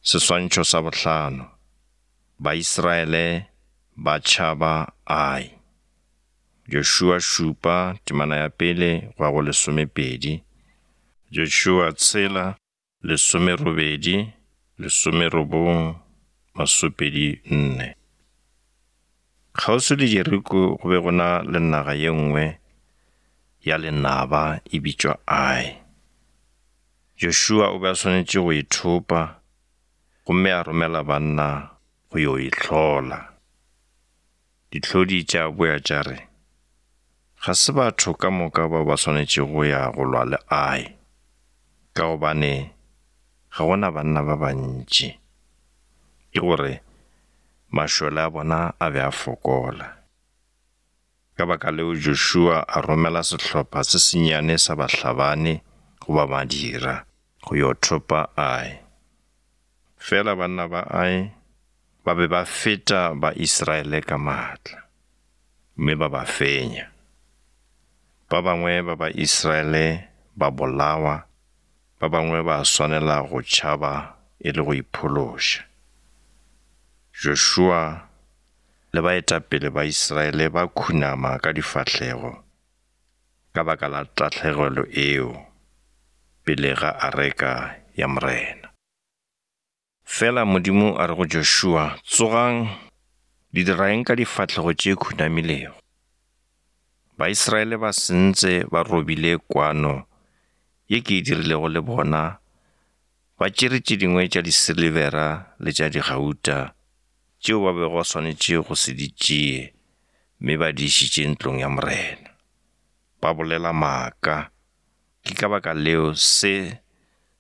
Seswantšho sa bohlano, Baisraele ba tšhaba Ai. Joshua šupa, temana ya pele go ya go lesomepedi. Joshua tshela, lesomerobedi, lesomerobong, masopedi nne. Kgauswi le Jeriko go be go na le naga ye nngwe ya lenaba e bitšwa Ai. Joshua o be a swanetše go e thopa gomme a romela banna go yo e hlola. Dihlodi tša boya tša re, Ga se batho ka moka bao ba swanetšego go ya go lwa le Ai, ka gobane ga go na banna ba bantši. Ke gore mašole a bona a be a fokola. Ka baka leo Joshua a romela sehlopha se sennyane sa bahlabani goba madira go yo thopa Ai. Fela banna ba Ai ba be ba feta ba Israele ka maatla, mme ba ba fenya. Ba bangwe ba ba Israele ba bolawa, ba bangwe ba swanela go tšhaba e le go iphološa. Joshua le baetapele ba Israele ba khunama ka difahlego ka baka la tahlegelo eo pele ga areka ya Morena. Fela Modimo a re go Joshua, Tsogang, le dira eng ka difahlego tše khunamilego? Baisraele ba sentse ba robile kwano ye ke e dirilego le bona, ba tšere tše dingwe tša disilibera le tša digauta tšeo ba bego ba swanetše go se di tšee mme ba di išitše ntlong ya Morena. Ba bolela maaka, ke ka baka leo se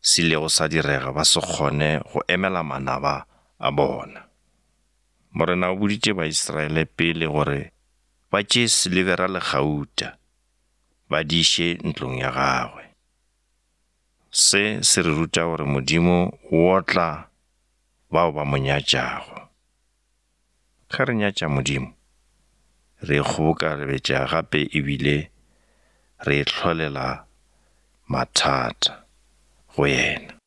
se ilego sa direga ba se kgone go emela manaba a bona. Morena o boditše Baisraele pele gore ba tšee silibera le gauta ba di iše ntlong ya gagwe. Se se re ruta gore Modimo o otla bao ba mo nyatšago. Ge re nyatša Modimo, re ikgobokarebetša gape e bile re ihlolela mathata go yena.